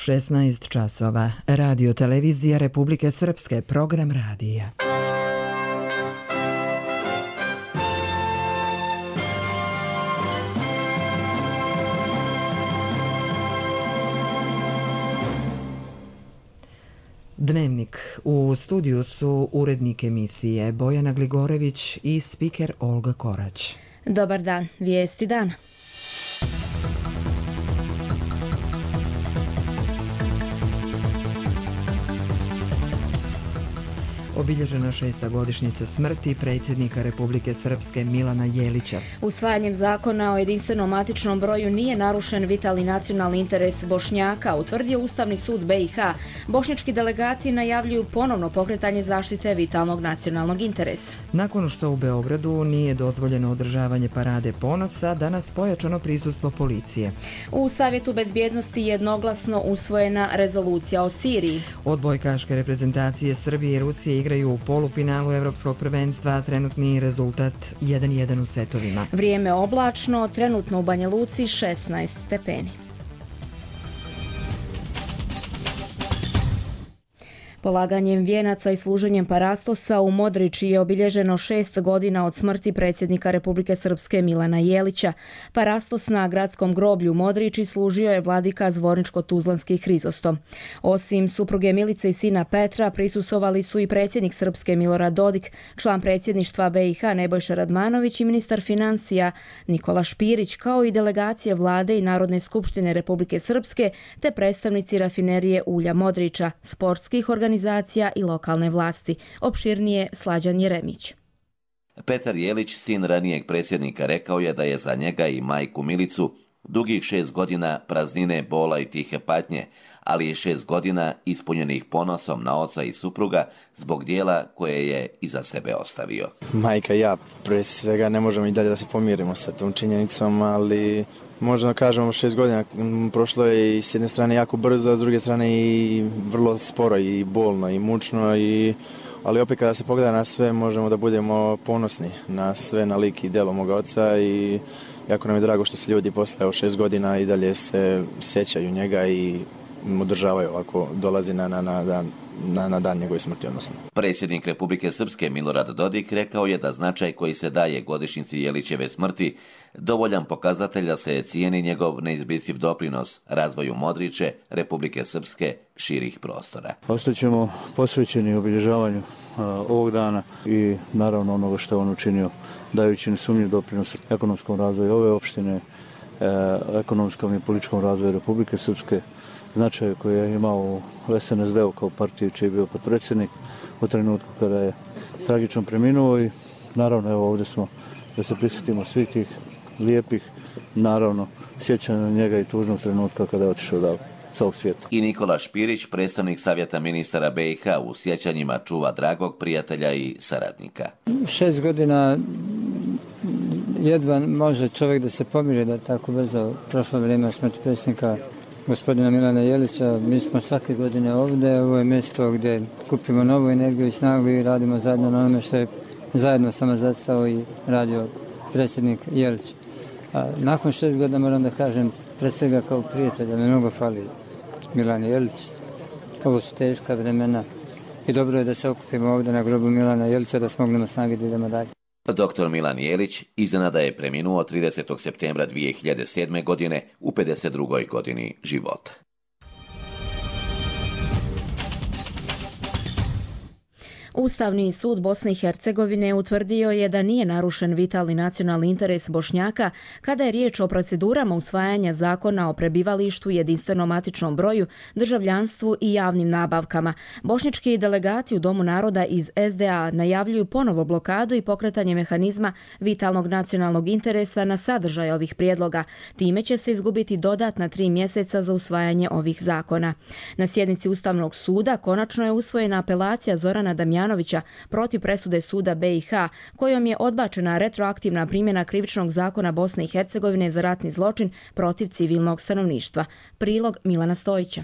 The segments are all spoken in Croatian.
16 časova. Radio televizija Republike Srpske, program radija. Dnevnik. U studiju su urednik emisije Bojana Gligorević i spiker Olga Korać. Dobar dan, vijesti dana. Obilježena 6. godišnjica smrti predsjednika Republike Srpske Milana Jelića. Usvajanjem zakona o jedinstvenom matičnom broju nije narušen vitalni nacionalni interes Bošnjaka, utvrdio Ustavni sud BiH. Bošnjački delegati najavljuju ponovno pokretanje zaštite vitalnog nacionalnog interesa. Nakon što u Beogradu nije dozvoljeno održavanje parade ponosa, danas pojačano prisustvo policije. U Savjetu bezbjednosti jednoglasno usvojena rezolucija o Siriji. Odbojkaške reprezentacije Srbije i Rusije igraju u polufinalu Evropskog prvenstva, a trenutni rezultat 1:1 u setovima. Vrijeme oblačno, trenutno u Banja Luci 16 stepeni. Polaganjem vijenaca i služenjem parastosa u Modriči je obilježeno 6 godina od smrti predsjednika Republike Srpske Milana Jelića. Parastos na gradskom groblju u Modriči služio je vladika Zvorničko-Tuzlanski Hrizostom. Osim supruge Milice i sina Petra, prisustvovali su i predsjednik Srpske Milorad Dodik, član predsjedništva BiH Nebojša Radmanović i ministar financija Nikola Špirić, kao i delegacije vlade i Narodne skupštine Republike Srpske, te predstavnici rafinerije ulja Modriča, sportskih organizacija i lokalne vlasti. Opširnije Slađan Jeremić. Petar Jelić, sin ranijeg predsjednika, rekao je da je za njega i majku Milicu dugih 6 godina praznine, bola i tihe patnje, ali i 6 godina ispunjenih ponosom na oca i supruga zbog dijela koje je iza sebe ostavio. Majka i ja, pre svega, ne možemo i dalje da se pomirimo sa tom činjenicom, ali možda kažemo 6 godina prošlo je i s jedne strane jako brzo, a s druge strane i vrlo sporo i bolno i mučno, ali opet kada se pogleda na sve možemo da budemo ponosni na sve, na lik i djelo moga oca i jako nam je drago što se ljudi posle 6 godina i dalje se sjećaju njega i održavaju ovako dolazi na dan njegove smrti. Predsjednik Republike Srpske Milorad Dodik rekao je da značaj koji se daje godišnjici Jelićeve smrti dovoljan pokazatelj da se cijeni njegov neizbrisiv doprinos razvoju Modriče, Republike Srpske, širih prostora. Ostaćemo posvećeni obilježavanju ovog dana i naravno onoga što on učinio, dajući nesumnjiv doprinos ekonomskom razvoju ove opštine, ekonomskom i političkom razvoju Republike Srpske, značaj koji je imao u SNSD-u kao partiju čiji je bio potpredsjednik u trenutku kada je tragično preminuo i naravno evo ovdje smo da se prisjetimo svih tih lijepih, naravno sjećanja na njega i tužnog trenutka kada je otišao odavde sa ovog svijeta. I Nikola Špirić, predstavnik Savjeta ministara BiH, u sjećanjima čuva dragog prijatelja i saradnika. 6 godina jedva može čovjek da se pomiri da tako brzo prošlo vrijeme smrti predsjednika gospodina Milana Jelića. Mi smo svake godine ovdje, ovo je mjesto gdje kupimo novu energiju i snagu i radimo zajedno na onome što je zajedno samo zastao i radio predsjednik Jelić. Nakon 6 godina moram da kažem, pred svega kao prijatelja, mi mnogo fali Milan Jelić. Ovo su teška vremena i dobro je da se okupimo ovdje na grobu Milana Jelića da smognemo snage da idemo dalje. Dr. Milan Jelić iznenada je preminuo 30. septembra 2007. godine u 52. godini života. Ustavni sud Bosne i Hercegovine utvrdio je da nije narušen vitalni nacionalni interes Bošnjaka kada je riječ o procedurama usvajanja zakona o prebivalištu, jedinstvenom matičnom broju, državljanstvu i javnim nabavkama. Bošnjački delegati u Domu naroda iz SDA najavljuju ponovo blokadu i pokretanje mehanizma vitalnog nacionalnog interesa na sadržaj ovih prijedloga. Time će se izgubiti dodatna 3 mjeseca za usvajanje ovih zakona. Na sjednici Ustavnog suda konačno je usvojena apelacija Zorana Damjanovića protiv presude suda BiH, kojom je odbačena retroaktivna primjena krivičnog zakona Bosne i Hercegovine za ratni zločin protiv civilnog stanovništva. Prilog Milana Stojića.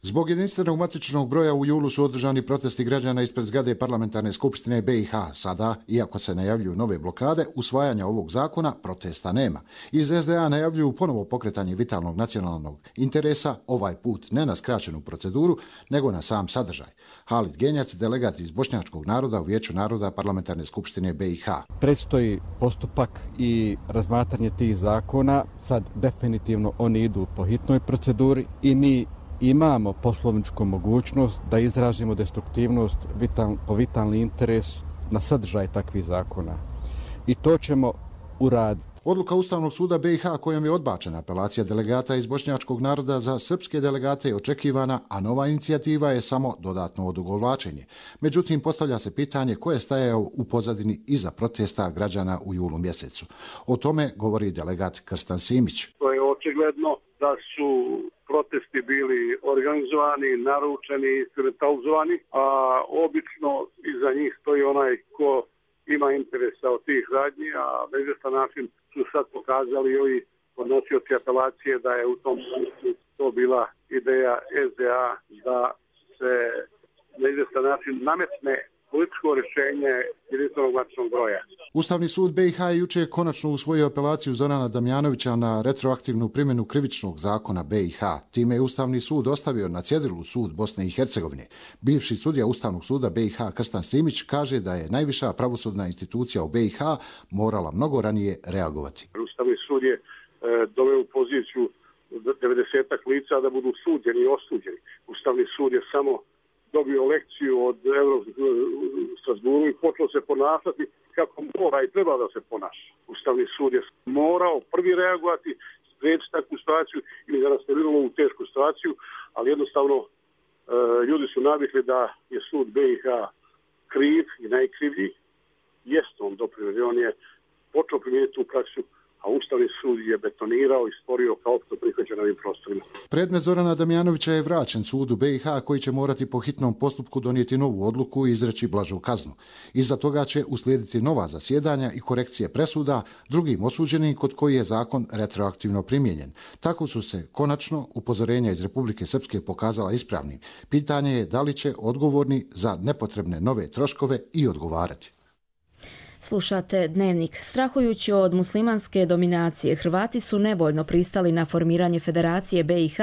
Zbog jedinstvenog matičnog broja u julu su održani protesti građana ispred zgrade Parlamentarne skupštine BiH. Sada, iako se najavljuju nove blokade, usvajanja ovog zakona protesta nema. Iz SDA najavljuju ponovo pokretanje vitalnog nacionalnog interesa, ovaj put ne na skraćenu proceduru, nego na sam sadržaj. Halid Genjac, delegat iz bošnjačkog naroda u Vijeću naroda Parlamentarne skupštine BiH. Predstoji postupak i razmatranje tih zakona. Sad definitivno oni idu po hitnoj proceduri i mi imamo poslovničku mogućnost da izražimo destruktivnost po vitalni interes na sadržaj takvih zakona. I to ćemo uraditi. Odluka Ustavnog suda BiH kojom je odbačena apelacija delegata iz bošnjačkog naroda za srpske delegate je očekivana, a nova inicijativa je samo dodatno odugovlačenje. Međutim, postavlja se pitanje ko je stajao u pozadini iza protesta građana u julu mjesecu. O tome govori delegat Krstan Simić. To je očigledno da su protesti bili organizovani, naručeni, instrumentalizovani, a obično iza njih stoji onaj ko ima interesa od tih radnji, a na izvjestan način su sad pokazali i ovi podnosioci apelacije da je u tom smislu to bila ideja SDA da se na izvjestan način nametne političko rješenje jedinstvenog matičnog broja. Ustavni sud BiH je jučer konačno usvojio apelaciju Zorana Damjanovića na retroaktivnu primjenu krivičnog zakona BiH. Time je Ustavni sud ostavio na cjedilu sud Bosne i Hercegovine. Bivši sudija Ustavnog suda BiH Krstan Simić kaže da je najviša pravosudna institucija u BiH morala mnogo ranije reagovati. Ustavni sud je doveo u poziciju 90-ak lica da budu suđeni i osuđeni. Ustavni sud je samo dobio lekciju od Europskog Strasburu i počeo se ponašati kako mora i treba da se ponaša. Ustavni sud je morao prvi reagovati, spriječiti takvu situaciju ili da nas ne bilo u tešku situaciju, ali jednostavno ljudi su navikli da je sud BiH kriv i najkrivlji. Jest on doprinio, on je počeo primijeniti tu praksu, a Ustavni sud je betonirao i stvorio kao opšto prihvaćen na ovim prostorima. Predmet Zorana Damjanovića je vraćen sudu BiH koji će morati po hitnom postupku donijeti novu odluku i izreći blažu kaznu. Iza toga će uslijediti nova zasjedanja i korekcije presuda drugim osuđenim kod koji je zakon retroaktivno primijenjen. Tako su se konačno upozorenja iz Republike Srpske pokazala ispravnim. Pitanje je da li će odgovorni za nepotrebne nove troškove i odgovarati. Slušate Dnevnik. Strahujući od muslimanske dominacije, Hrvati su nevoljno pristali na formiranje Federacije BiH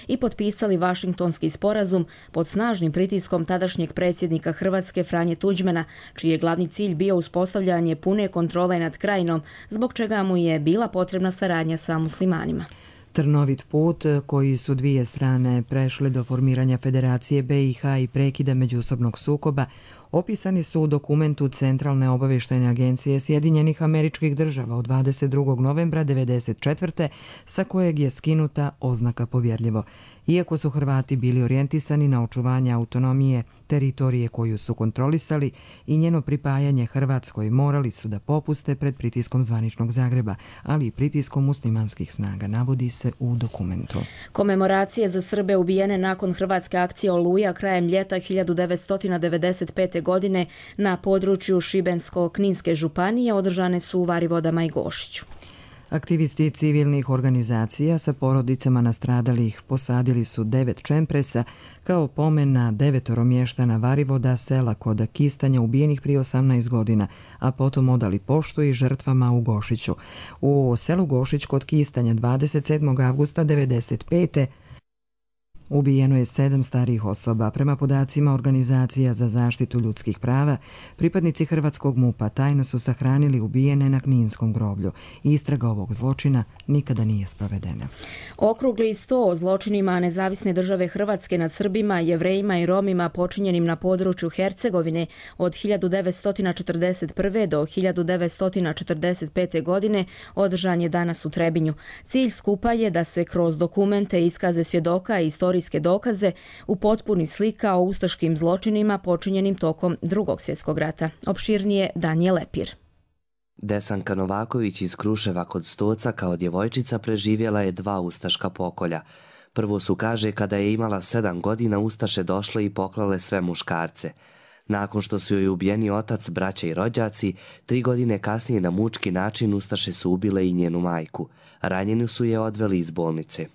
i potpisali Vašingtonski sporazum pod snažnim pritiskom tadašnjeg predsjednika Hrvatske Franje Tuđmana, čiji je glavni cilj bio uspostavljanje pune kontrole nad krajinom, zbog čega mu je bila potrebna saradnja sa muslimanima. Trnovit put koji su dvije strane prešle do formiranja Federacije BiH i prekida međusobnog sukoba opisani su u dokumentu Centralne obavještajne agencije Sjedinjenih Američkih Država od 22. novembra 1994. sa kojeg je skinuta oznaka povjerljivo. Iako su Hrvati bili orijentisani na očuvanje autonomije teritorije koju su kontrolisali i njeno pripajanje Hrvatskoj, morali su da popuste pred pritiskom zvaničnog Zagreba, ali i pritiskom muslimanskih snaga, navodi se u dokumentu. Komemoracije za Srbe ubijene nakon hrvatske akcije Oluja krajem ljeta 1995. godine na području Šibensko-Kninske županije održane su u Varivodama i Gošiću. Aktivisti civilnih organizacija sa porodicama nastradalih posadili su 9 čempresa kao pomen na 9 mještana Varivoda, sela kod Kistanja ubijenih prije 18 godina, a potom odali poštu i žrtvama u Gošiću. U selu Gošić kod Kistanja 27. avgusta 1995. ubijeno je 7 starijih osoba. Prema podacima Organizacija za zaštitu ljudskih prava, pripadnici hrvatskog MUP-a tajno su sahranili ubijene na Kninskom groblju. Istraga ovog zločina nikada nije sprovedena. Okrugli 100 o zločinima Nezavisne države Hrvatske nad Srbima, Jevrejima i Romima počinjenim na području Hercegovine od 1941. do 1945. godine održan je danas u Trebinju. Cilj skupa je da se kroz dokumente, iskaze svjedoka i historijske dokaze upotpuni slika o ustaškim zločinima počinjenim tokom Drugog svjetskog rata. Opširnije Danijel Lepir. Desanka Novaković iz Kruševa kod Stoca kao djevojčica preživjela je 2 ustaška pokolja. Prvo su, kaže, kada je imala 7 godina ustaše došle i poklale sve muškarce. Nakon što su joj ubijeni otac, braća i rođaci, 3 godine kasnije na mučki način ustaše su ubile i njenu majku. Ranjeni su je odveli iz bolnice.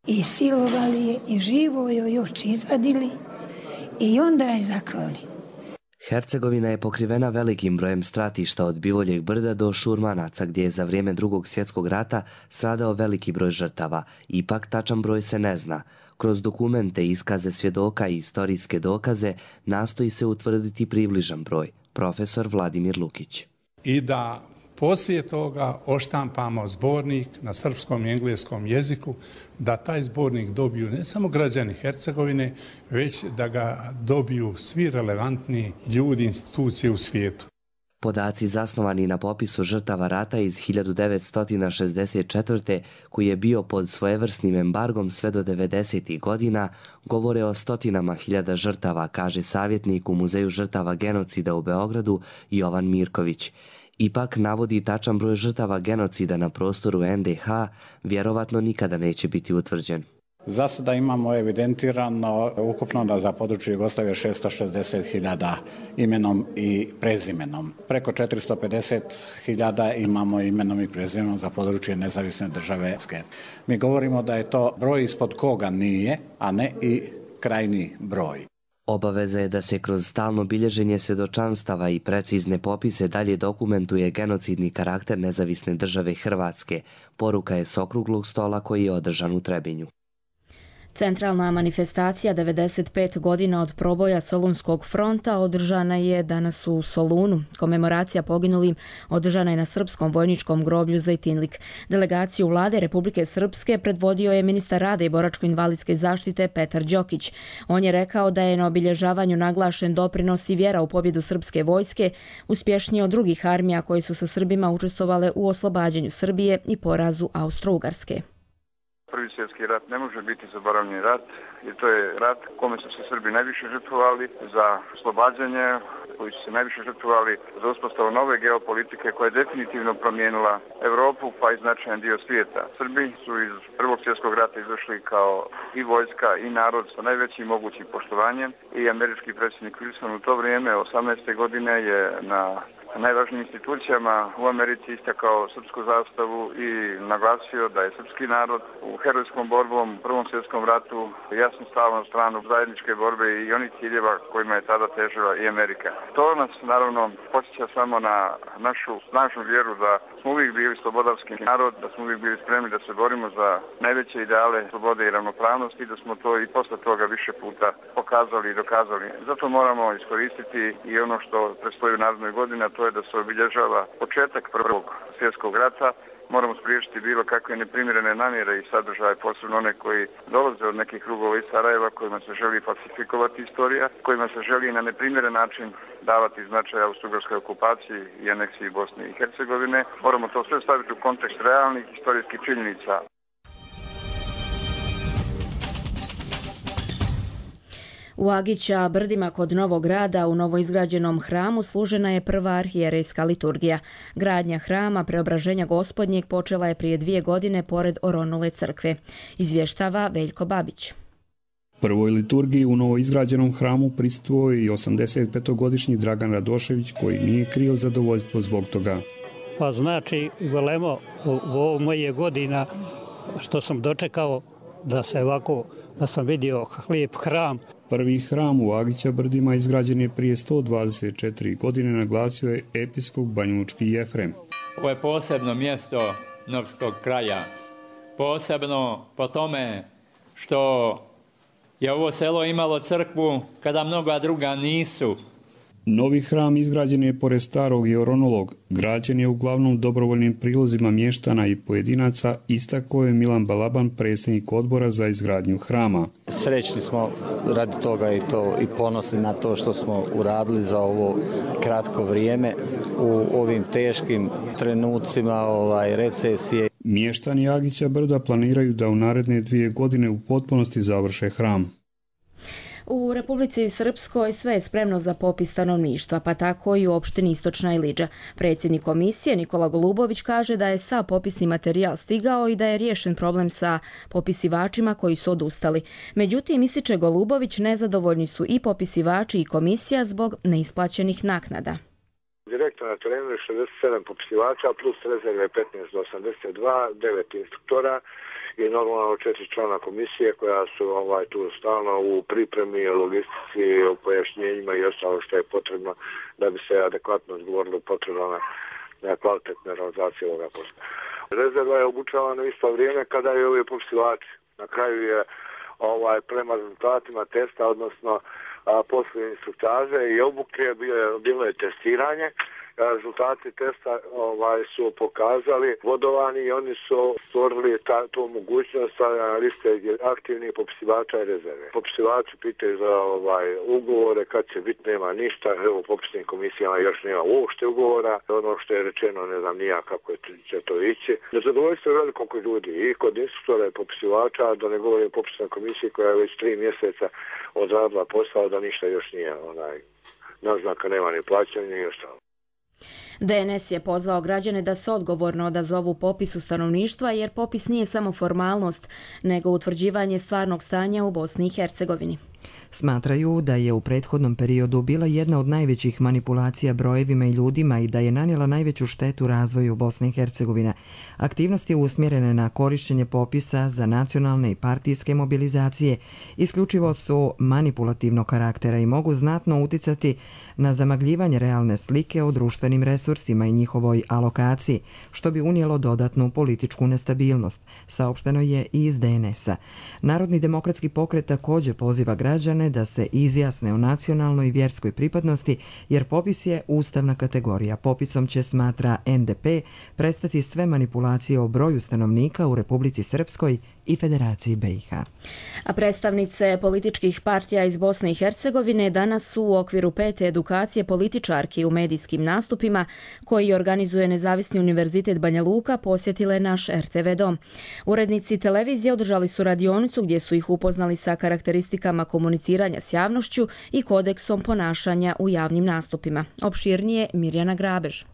I silovali je i živo joj još izvadili i onda je zaklali. Hercegovina je pokrivena velikim brojem stratišta od Bivoljeg brda do Šurmanaca, gdje je za vrijeme Drugog svjetskog rata stradao veliki broj žrtava. Ipak tačan broj se ne zna. Kroz dokumente, iskaze svjedoka i istorijske dokaze nastoji se utvrditi približan broj. Profesor Vladimir Lukić. I da poslije toga oštampamo zbornik na srpskom i engleskom jeziku, da taj zbornik dobiju ne samo građani Hercegovine, već da ga dobiju svi relevantni ljudi, institucije u svijetu. Podaci zasnovani na popisu žrtava rata iz 1964. koji je bio pod svojevrsnim embargom sve do 90. godina, govore o stotinama hiljada žrtava, kaže savjetnik u Muzeju žrtava genocida u Beogradu Jovan Mirković. Ipak navodi tačan broj žrtava genocida na prostoru NDH vjerovatno nikada neće biti utvrđen. Za sada imamo evidentirano ukupno za područje Jugoslavije 660.000 imenom i prezimenom. Preko 450.000 imamo imenom i prezimenom za područje nezavisne države. Mi govorimo da je to broj ispod koga nije, a ne i krajnji broj. Obaveza je da se kroz stalno bilježenje svjedočanstava i precizne popise dalje dokumentuje genocidni karakter nezavisne države Hrvatske. Poruka je s okruglog stola koji je održan u Trebinju. Centralna manifestacija 95 godina od proboja Solunskog fronta održana je danas u Solunu. Komemoracija poginulim održana je na srpskom vojničkom groblju Zejtinlik. Delegaciju vlade Republike Srpske predvodio je ministar rada i boračko-invalidske zaštite Petar Đokić. On je rekao da je na obilježavanju naglašen doprinos i vjera u pobjedu srpske vojske, uspješnije od drugih armija koje su sa Srbima učestvovale u oslobađanju Srbije i porazu Austro-Ugarske. Prvi svjetski rat ne može biti zaboravljeni rat, jer to je rat kome su se Srbi najviše žrtvovali za oslobađanje, koji su se najviše žrtvovali za uspostavu nove geopolitike koja je definitivno promijenila Europu pa i značajan dio svijeta. Srbi su iz Prvog svjetskog rata izašli kao i vojska i narod sa najvećim mogućim poštovanjem i američki predsjednik Wilson u to vrijeme 18. godine je na najvažnijim institucijama u Americi istakao srpsku zastavu i naglasio da je srpski narod u herojskom borbom u Prvom svjetskom ratu jasno stao na stranu zajedničke borbe i onih ciljeva kojima je tada težila i Amerika. To nas naravno podsjeća samo na našu snažnu vjeru da smo uvijek bili slobodarski narod, da smo uvijek bili spremni da se borimo za najveće ideale slobode i ravnopravnosti i da smo to i posle toga više puta pokazali i dokazali. Zato moramo iskoristiti i ono što predstoji u narednoj godini, a to je da se obilježava početak Prvog svjetskog rata. Moramo spriječiti bilo kakve neprimjerene namjere i sadržaje, posebno one koji dolaze od nekih krugova iz Sarajeva kojima se želi falsifikovati istorija, kojima se želi na neprimjeren način davati značaj austro-ugarskoj okupaciji i aneksiji Bosne i Hercegovine. Moramo to sve staviti u kontekst realnih historijskih činjenica. U Agića brdima kod Novog Grada u novoizgrađenom hramu služena je prva arhijerejska liturgija. Gradnja hrama Preobraženja Gospodnjeg počela je prije 2 godine pored Oronule crkve. Izvještava Veljko Babić. Prvoj liturgiji u novoizgrađenom hramu prisustvovao je i 85-godišnji Dragan Radošević koji nije krio zadovoljstvo zbog toga. Pa znači, velemo, ovo moje godina što sam dočekao da se ovako, da sam vidio lijep hram. Prvi hram u Agića brdima izgrađen je prije 124 godine, naglasio je episkop banjalučki Jefrem. Ovo je posebno mjesto novskog kraja. Posebno po tome što je ovo selo imalo crkvu kada mnoga druga nisu. Novi hram izgrađen je pored starog i oronolog. Građen je uglavnom dobrovoljnim prilozima mještana i pojedinaca, istakao je Milan Balaban, predsjednik odbora za izgradnju hrama. Srećni smo radi toga i ponosni na to što smo uradili za ovo kratko vrijeme u ovim teškim trenucima recesije. Mještani Agića brda planiraju da u naredne 2 godine u potpunosti završe hram. U Republici Srpskoj sve je spremno za popis stanovništva, pa tako i u opštini Istočna Ilidža. Predsjednik komisije Nikola Golubović kaže da je sav popisni materijal stigao i da je riješen problem sa popisivačima koji su odustali. Međutim, ističe Golubović, nezadovoljni su i popisivači i komisija zbog neisplaćenih naknada. direktno na terenu je 67 popisivača, plus rezerve 15 do 82, 9 instruktora i normalno 4 člana komisije koja su tu stalno u pripremi, logistici, u pojašnjenjima i ostalo što je potrebno da bi se adekvatno odgovorilo potrebno na kvalitetne realizacije ovoga posla. Rezerva je obučavana u isto vrijeme kada je ovi popisivači. Na kraju je prema rezultatima testa, odnosno posle instruktaže i obuke bilo je testiranje. Rezultati testa su pokazali vodovani i oni su stvorili tu mogućnost stavljanja liste aktivnih popisivača i rezerve. Popisivači pitaju za ugovore, kad će biti, nema ništa, evo u popisnim komisijama još nema uopšte ugovora, ono što je rečeno ne znam nija kako će to ići. Nezadovoljstvo je veliko kod ljudi i kod instruktora i popisivača, da ne govorim o popisnoj komisiji koja je već 3 mjeseca odradila posao, da ništa još nije naznaka, nema ni plaćanja ni ostalo. DNS je pozvao građane da se odgovorno odazovu popisu stanovništva jer popis nije samo formalnost, nego utvrđivanje stvarnog stanja u Bosni i Hercegovini. Smatraju da je u prethodnom periodu bila jedna od najvećih manipulacija brojevima i ljudima i da je nanijela najveću štetu razvoju Bosne i Hercegovine. Aktivnosti usmjerene na korišćenje popisa za nacionalne i partijske mobilizacije isključivo su manipulativnog karaktera i mogu znatno uticati na zamagljivanje realne slike o društvenim resursima i njihovoj alokaciji, što bi unijelo dodatnu političku nestabilnost, saopšteno je i iz DNS-a. Narodni demokratski pokret također poziva građane da se izjasne o nacionalnoj i vjerskoj pripadnosti, jer popis je ustavna kategorija. Popisom će, smatra NDP, prestati sve manipulacije o broju stanovnika u Republici Srpskoj i Federaciji BiH. A predstavnice političkih partija iz Bosne i Hercegovine danas su u okviru 5. edukacije političarki u medijskim nastupima koji organizuje Nezavisni univerzitet Banja Luka posjetile naš RTV dom. Urednici televizije održali su radionicu gdje su ih upoznali sa karakteristikama komuniciranja s javnošću i kodeksom ponašanja u javnim nastupima. Opširnije Mirjana Grabež.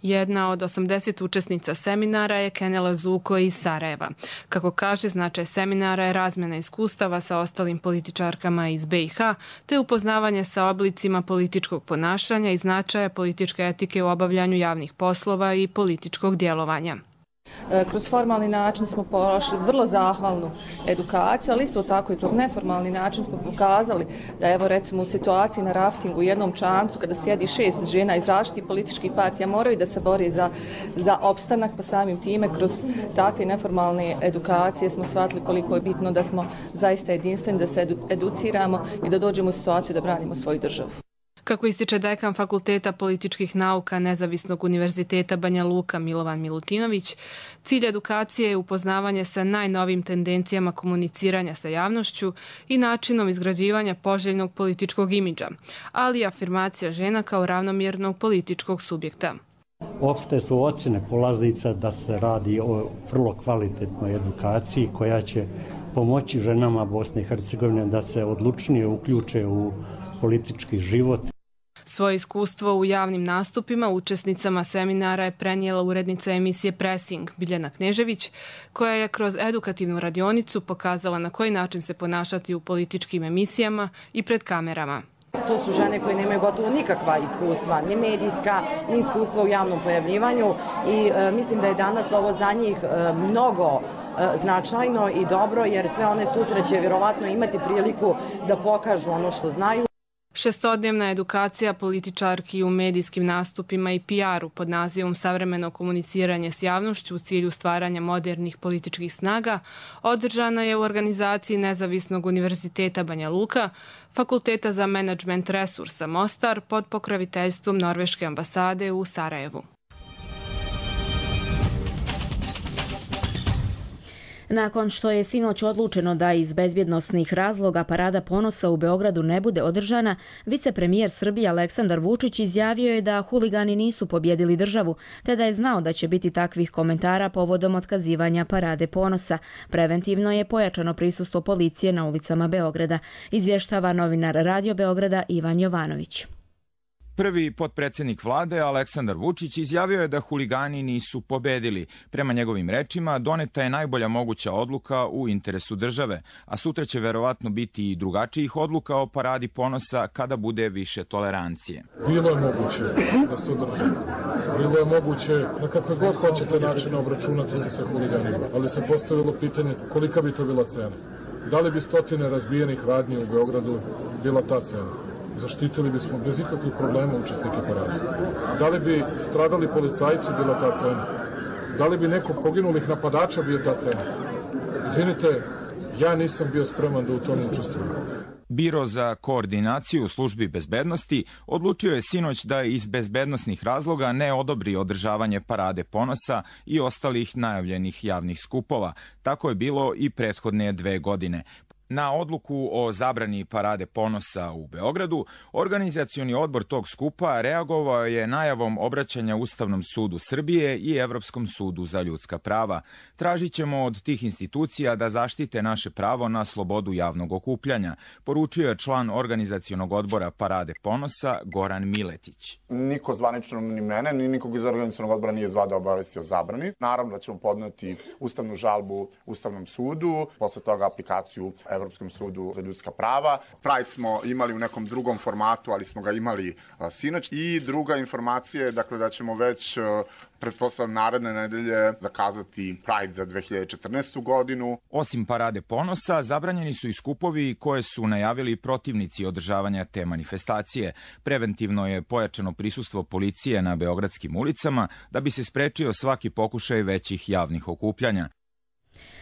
Jedna od 80 učesnica seminara je Kenela Zuko iz Sarajeva. Kako kaže, značaj seminara je razmjena iskustava sa ostalim političarkama iz BiH, te upoznavanje sa oblicima političkog ponašanja i značaja političke etike u obavljanju javnih poslova i političkog djelovanja. Kroz formalni način smo prošli vrlo zahvalnu edukaciju, ali isto tako i kroz neformalni način smo pokazali da evo recimo u situaciji na raftingu u jednom čamcu kada sjedi 6 žena iz različitih političkih partija moraju da se bori za opstanak, pa samim time kroz takve neformalne edukacije smo shvatili koliko je bitno da smo zaista jedinstveni, da se educiramo i da dođemo u situaciju da branimo svoju državu. Kako ističe dekan Fakulteta političkih nauka Nezavisnog univerziteta Banja Luka Milovan Milutinović, cilj edukacije je upoznavanje sa najnovim tendencijama komuniciranja sa javnošću i načinom izgrađivanja poželjnog političkog imidža, ali i afirmacija žena kao ravnomjernog političkog subjekta. Opšte su ocjene polaznica da se radi o vrlo kvalitetnoj edukaciji koja će pomoći ženama Bosne i Hercegovine da se odlučnije uključe u politički život. Svoje iskustvo u javnim nastupima učesnicama seminara je prenijela urednica emisije Pressing Biljana Knežević, koja je kroz edukativnu radionicu pokazala na koji način se ponašati u političkim emisijama i pred kamerama. To su žene koje nemaju gotovo nikakva iskustva, ni medijska, ni iskustva u javnom pojavljivanju i mislim da je danas ovo za njih mnogo značajno i dobro, jer sve one sutra će vjerovatno imati priliku da pokažu ono što znaju. Šestodnevna edukacija političarki u medijskim nastupima i PR-u pod nazivom Savremeno komuniciranje s javnošću u cilju stvaranja modernih političkih snaga održana je u organizaciji Nezavisnog univerziteta Banja Luka, Fakulteta za menadžment resursa Mostar pod pokroviteljstvom Norveške ambasade u Sarajevu. Nakon što je sinoć odlučeno da iz bezbjednosnih razloga Parada ponosa u Beogradu ne bude održana, vicepremijer Srbije Aleksandar Vučić izjavio je da huligani nisu pobjedili državu, te da je znao da će biti takvih komentara povodom otkazivanja Parade ponosa. Preventivno je pojačano prisustvo policije na ulicama Beograda, izvještava novinar Radio Beograda Ivan Jovanović. Prvi potpredsjednik vlade, Aleksandar Vučić, izjavio je da huligani nisu pobedili. Prema njegovim rečima, doneta je najbolja moguća odluka u interesu države, a sutra će verovatno biti i drugačijih odluka o paradi ponosa kada bude više tolerancije. Bilo je moguće da se održi. Bilo je moguće na kakve god hoćete načine obračunati se sa huliganima, ali se postavilo pitanje kolika bi to bila cena. Da li bi stotine razbijenih radnji u Beogradu bila ta cena? Zaštitili bismo bez ikakvih problema učesnike parade. Da li bi stradali policajci bila ta cena? Da li bi neko poginulih napadača bio ta cena? Izvinite, ja nisam bio spreman da u tome učestvujem. Biro za koordinaciju službi bezbednosti odlučio je sinoć da iz bezbednosnih razloga ne odobri održavanje parade ponosa i ostalih najavljenih javnih skupova. Tako je bilo i prethodne 2 godine. Na odluku o zabrani parade ponosa u Beogradu, organizacioni odbor tog skupa reagovao je najavom obraćanja Ustavnom sudu Srbije i Evropskom sudu za ljudska prava. Tražit ćemo od tih institucija da zaštite naše pravo na slobodu javnog okupljanja, poručio je član organizacionog odbora parade ponosa Goran Miletić. Niko zvanično ni mene, ni nikog iz organizacionog odbora nije zvao da obavesti o zabrani. Naravno da ćemo podneti ustavnu žalbu Ustavnom sudu, posle toga aplikaciju Evropskom sudu za ljudska prava. Pride smo imali u nekom drugom formatu, ali smo ga imali sinoć. I druga informacija je dakle, da ćemo već pretpostavljam naredne nedelje zakazati Pride za 2014. godinu. Osim parade ponosa, zabranjeni su i skupovi koje su najavili protivnici održavanja te manifestacije. Preventivno je pojačano prisustvo policije na beogradskim ulicama da bi se sprečio svaki pokušaj većih javnih okupljanja.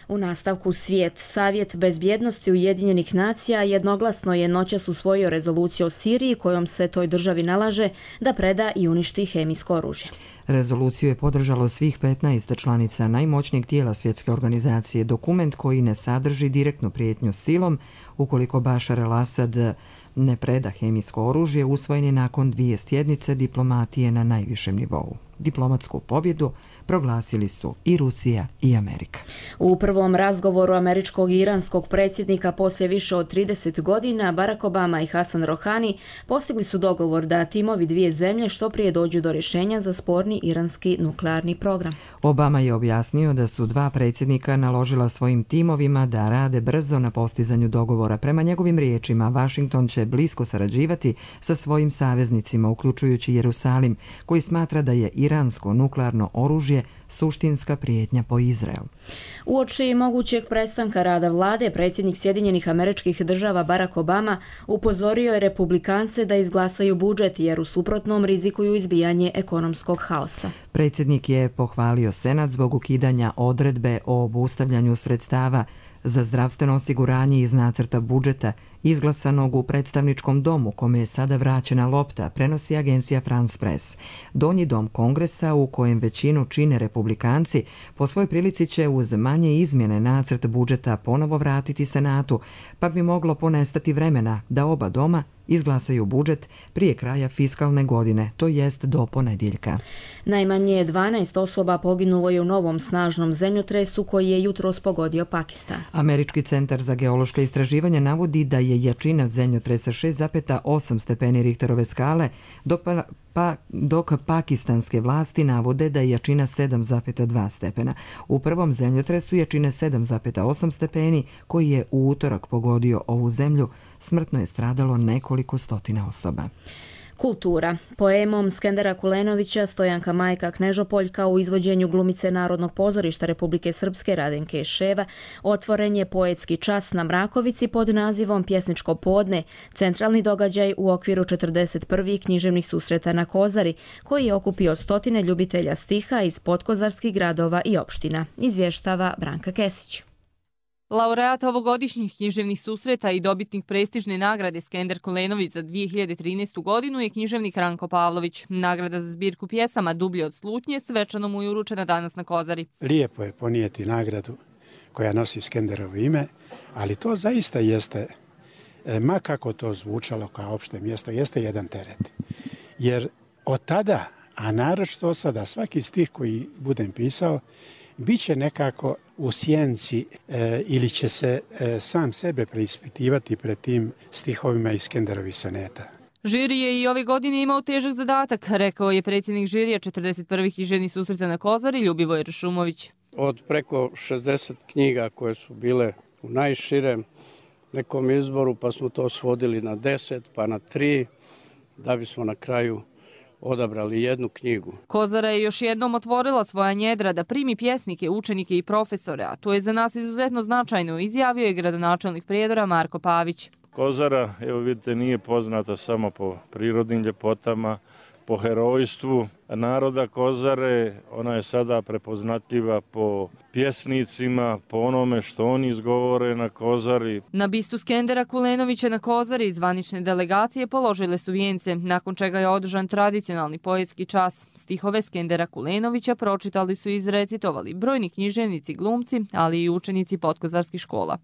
U nastavku svijet. Savjet bezbjednosti Ujedinjenih nacija jednoglasno je noćas usvojio rezoluciju o Siriji kojom se toj državi nalaže da preda i uništi hemijsko oružje. Rezoluciju je podržalo svih 15 članica najmoćnijeg tijela svjetske organizacije, dokument koji ne sadrži direktnu prijetnju silom ukoliko Bašar el-Asad ne preda hemijsko oružje, usvojen je nakon 2 sjednice diplomatije na najvišem nivou. Diplomatsku pobjedu proglasili su i Rusija i Amerika. U prvom razgovoru američkog i iranskog predsjednika poslije više od 30 godina Barack Obama i Hasan Rohani postigli su dogovor da timovi 2 zemlje što prije dođu do rješenja za sporni iranski nuklearni program. Obama je objasnio da su 2 predsjednika naložila svojim timovima da rade brzo na postizanju dogovora. Prema njegovim riječima, Washington će blisko sarađivati sa svojim saveznicima, uključujući Jerusalim, koji smatra da je iransko nuklearno oružje suštinska prijetnja po Izrael. Uoči mogućeg prestanka rada vlade, predsjednik Sjedinjenih Američkih Država Barack Obama upozorio je republikance da izglasaju budžet jer u suprotnom rizikuju izbijanje ekonomskog haosa. Predsjednik je pohvalio Senat zbog ukidanja odredbe o obustavljanju sredstava za zdravstveno osiguranje iz nacrta budžeta izglasanog u predstavničkom domu kome je sada vraćena lopta, prenosi agencija France Press. Donji dom Kongresa, u kojem većinu čine republikanci, po svoj prilici će uz manje izmjene nacrt budžeta ponovo vratiti Senatu, pa bi moglo ponestati vremena da oba doma izglasaju budžet prije kraja fiskalne godine, to jest do ponedjeljka. Najmanje 12 osoba poginulo je u novom snažnom zemljotresu koji je jutros pogodio Pakistan. Američki centar za geološka istraživanja navodi da je jačina zemljotresa 6,8 stepeni Richterove skale, dok pakistanske vlasti navode da je jačina 7,2 stepena. U prvom zemljotresu jačine 7,8 stepeni, koji je u utorak pogodio ovu zemlju, smrtno je stradalo nekoliko stotina osoba. Kultura. Poemom Skendera Kulenovića Stojanka Majka Knežopoljka u izvođenju glumice Narodnog pozorišta Republike Srpske Radenke Ševa otvoren je poetski čas na Mrakovici pod nazivom Pjesničko podne, centralni događaj u okviru 41. književnih susreta na Kozari, koji je okupio stotine ljubitelja stiha iz podkozarskih gradova i opština, izvještava Branka Kesić. Laureat ovogodišnjih književnih susreta i dobitnik prestižne nagrade Skender Kulenović za 2013. godinu je književnik Ranko Pavlović. Nagrada za zbirku pjesama Dublje od slutnje svečano mu je uručena danas na Kozari. Lijepo je ponijeti nagradu koja nosi Skenderovo ime, ali to zaista jeste, ma kako to zvučalo kao opšte mjesto, jeste jedan teret. Jer od tada, a naročito od sada, svaki stih koji budem pisao, bit će nekako u sjenci ili će se sam sebe preispitivati pred tim stihovima iz Skenderovih soneta. Žiri je i ove godine imao težak zadatak, rekao je predsjednik žirija 41. književnih susreta na Kozari Ljubivoj Šumović. Od preko 60 knjiga koje su bile u najširem nekom izboru, pa smo to svodili na 10, pa na 3, da bismo na kraju odabrali jednu knjigu. Kozara je još jednom otvorila svoja njedra da primi pjesnike, učenike i profesore, a to je za nas izuzetno značajno, izjavio je gradonačelnik Prijedora Marko Pavić. Kozara, evo vidite, nije poznata samo po prirodnim ljepotama, po herojstvu naroda Kozare, ona je sada prepoznatljiva po pjesnicima, po onome što oni izgovore na Kozari. Na bistu Skendera Kulenovića na Kozari zvanične delegacije položile su vijence, nakon čega je održan tradicionalni poetski čas. Stihove Skendera Kulenovića pročitali su i izrecitovali brojni književnici, glumci, ali i učenici podkozarskih škola.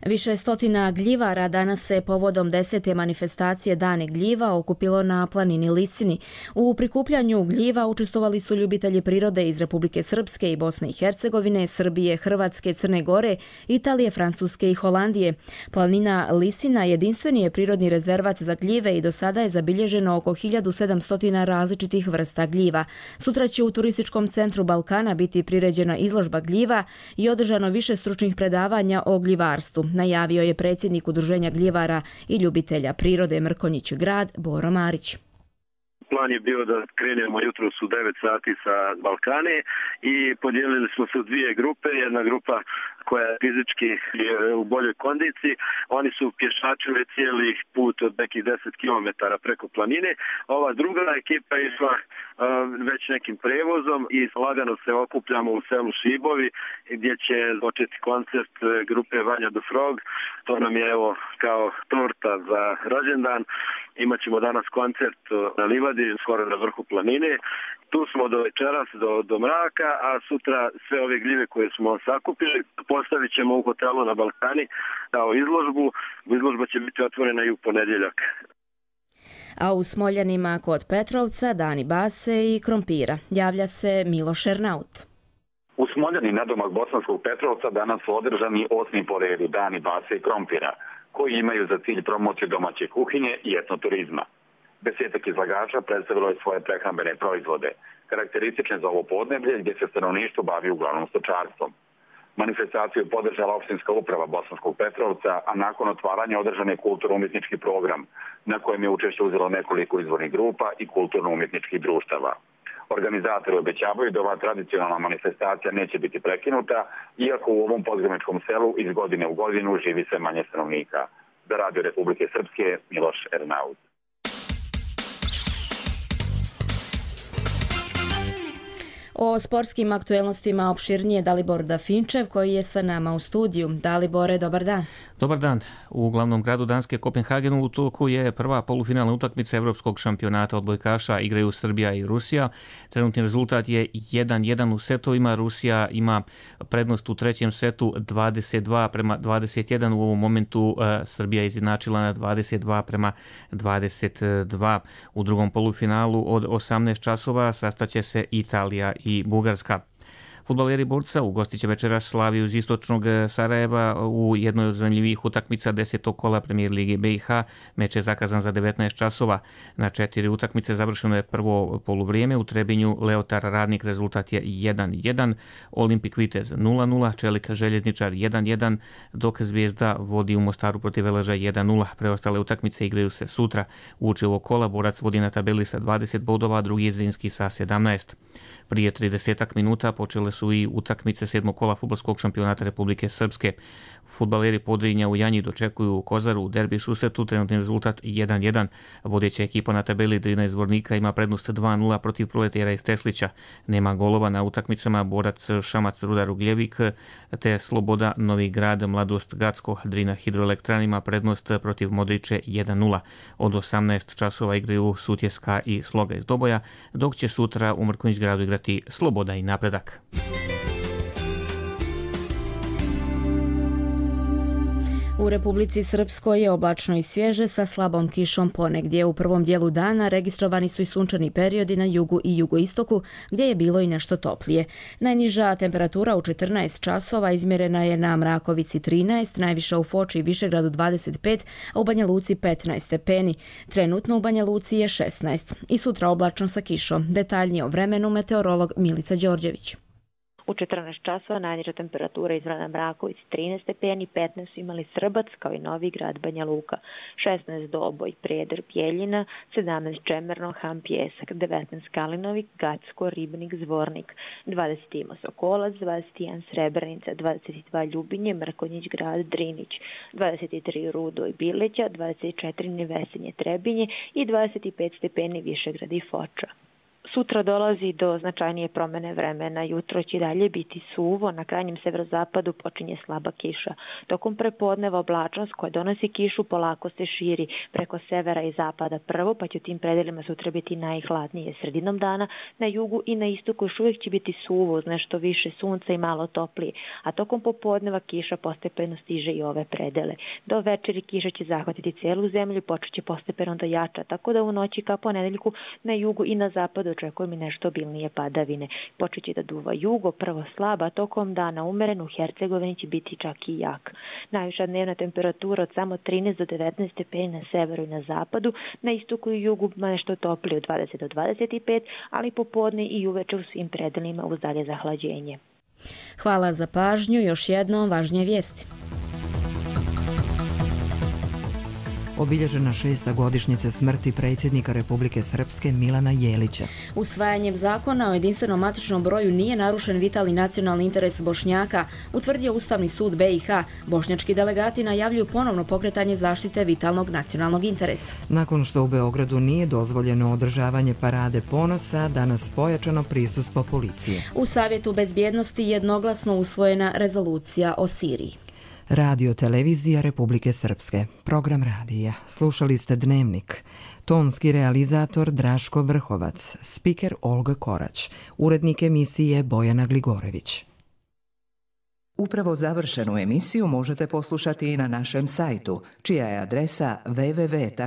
Više stotina gljivara danas se povodom 10. manifestacije Dani gljiva okupilo na planini Lisini. U prikupljanju gljiva učestvovali su ljubitelji prirode iz Republike Srpske i Bosne i Hercegovine, Srbije, Hrvatske, Crne Gore, Italije, Francuske i Holandije. Planina Lisina jedinstveni je prirodni rezervat za gljive i do sada je zabilježeno oko 1700 različitih vrsta gljiva. Sutra će u Turističkom centru Balkana biti priređena izložba gljiva i održano više stručnih predavanja o gljivarstvu, najavio je predsjednik Udruženja gljivara i ljubitelja prirode Mrkonjić Grad Boro Marić. Plan je bio da krenemo jutros u 9 sati sa Balkane i podijelili smo se u dvije grupe. Jedna grupa koja je fizički u boljoj kondiciji, oni su pješačili cijeli put od nekih 10 km preko planine. Ova druga ekipa je išla već nekim prevozom i lagano se okupljamo u selu Šibovi gdje će početi koncert grupe Vanja the Frog. To nam je evo kao torta za rođendan. Imaćemo danas koncert na livadi, skoro na vrhu planine. Tu smo do večeras, do mraka, a sutra sve ove gljive koje smo sakupili postavit ćemo u hotelu na Balkani kao izložbu. Izložba će biti otvorena i u ponedjeljak. A u Smoljanima kod Petrovca dani base i krompira. Javlja se Miloš Ernaut. U Smoljani nadomak Bosanskog Petrovca danas su održani 8. po redu dani base i krompira, koji imaju za cilj promociju domaće kuhinje i etnoturizma. Desetak izlagača predstavilo je svoje prehrambene proizvode, karakteristične za ovo podneblje gdje se stanovništvo bavi uglavnom stočarstvom. Manifestaciju je podržala opštinska uprava Bosanskog Petrovca, a nakon otvaranja održan je kulturno-umjetnički program, na kojem je učešće uzelo nekoliko izvornih grupa i kulturno-umjetničkih društava. Organizatori obećavaju da ova tradicionalna manifestacija neće biti prekinuta, iako u ovom podgraničkom selu iz godine u godinu živi sve manje stanovnika. Za Radio Republike Srpske, Miloš Ernaut. O sportskim aktuelnostima opširnije Dalibor Dafinčev koji je sa nama u studiju. Dalibore, dobar dan. Dobar dan. U glavnom gradu Danske Kopenhagenu u toku je prva polufinalna utakmica Evropskog šampionata odbojkaša, igraju Srbija i Rusija. Trenutni rezultat je 1-1 u setovima. Rusija ima prednost u trećem setu 22-21. U ovom momentu Srbija izjednačila na 22-22. U drugom polufinalu od 18 časova sastaće se Italija i Bugarska. Fudbaleri Borca ugostit će večeras Slaviju iz istočnog Sarajeva u jednoj od zanimljivih utakmica 10. kola Premijer Lige BiH. Meč je zakazan za 19 časova. Na 4 utakmice završeno je prvo poluvrijeme. U Trebinju Leotar Radnik rezultat je 1-1, Olimpik Vitez 0-0, Čelik Željezničar 1-1, dok Zvijezda vodi u Mostaru protiv Veleža 1-0. Preostale utakmice igraju se sutra. U učivo kola Borac vodi na tabeli sa 20 bodova, drugi je Zrinski sa 17. Prije 30 minuta počele su i utakmice 7. kola fudbalskog šampionata Republike Srpske. Fudbaleri Podrinja u Janji dočekuju u Kozaru u derbi susretu, trenutni rezultat 1-1. Vodeća ekipa na tabeli Drina iz Zvornika ima prednost 2-0 protiv Proletera iz Teslića. Nema golova na utakmicama Borac Šamac Rudar Ugljevik te Sloboda Novi Grad Mladost Gacko. Drina Hidroelektran ima prednost protiv Modriće 1-0. Od 18 časova igraju Sutjeska i Sloga iz Doboja, dok će sutra u Mrkonjić Gradu igrati Sloboda i Napredak. U Republici Srpskoj je oblačno i svježe sa slabom kišom ponegdje. U prvom dijelu dana registrovani su i sunčani periodi na jugu i jugoistoku, gdje je bilo i nešto toplije. Najniža temperatura u 14 časova izmjerena je na Mrakovici 13, najviša u Foči i Višegradu 25, a u Banja Luci 15 stepeni. Trenutno u Banja Luci je 16. I sutra oblačno sa kišom. Detaljnije o vremenu meteorolog Milica Đorđević. U 14 časova najniža temperatura izmjerena na Mrakovici 13 stepeni, 15 su imali Srbac kao i Novi Grad Banja Luka, 16 Doboj, Prijedor, Bjeljina, 17 Čemerno, Ham, Pjesak, 19 Kalinovi, Gacko, Ribnik, Zvornik, 20 ima Sokolac, 21 Srebrenica, 22 Ljubinje, Mrkonjić Grad, Drinić, 23 Rudo i Bileća, 24 Nevesenje, Trebinje i 25 stepeni Višegrad i Foča. Sutra dolazi do značajnije promjene vremena. Jutro će dalje biti suvo, na krajnjem severozapadu počinje slaba kiša. Tokom prepodneva oblačnost koja donosi kišu polako se širi preko severa i zapada prvo, pa će u tim predelima sutra biti najhladnije sredinom dana. Na jugu i na istoku još uvijek će biti suvo uz nešto više sunca i malo toplije, a tokom popodneva kiša postepeno stiže i ove predele. Do večeri kiša će zahvatiti cijelu zemlju i počet će postepeno da jača, tako da u noći ka ponedeljku na jugu i na zapadu očekujemo nešto obilnije padavine. Počeće da duva jugo, prvo slaba, tokom dana umeren, u Hercegovini će biti čak i jak. Najviša dnevna temperatura od samo 13 do 19 stepeni na severu i na zapadu, na istoku i jugu nešto toplije od 20 do 25, ali popodne i uveče u svim predelima uz dalje zahlađenje. Hvala za pažnju, još jednom važnije vijesti. Obilježena 6. godišnjica smrti predsjednika Republike Srpske Milana Jelića. Usvajanjem zakona o jedinstvenom matičnom broju nije narušen vitalni nacionalni interes Bošnjaka, utvrdio Ustavni sud BiH. Bošnjački delegati najavljuju ponovno pokretanje zaštite vitalnog nacionalnog interesa. Nakon što u Beogradu nije dozvoljeno održavanje parade ponosa, danas pojačano prisustvo policije. U Savjetu bezbjednosti jednoglasno usvojena rezolucija o Siriji. Radio televizija Republike Srpske. Program radija. Slušali ste Dnevnik. Tonski realizator Draško Vrhovac. Spiker Olga Korać. Urednik emisije Bojana Gligorević. Upravo završenu emisiju možete poslušati i na našem sajtu, čija je adresa www.rtrs.tv.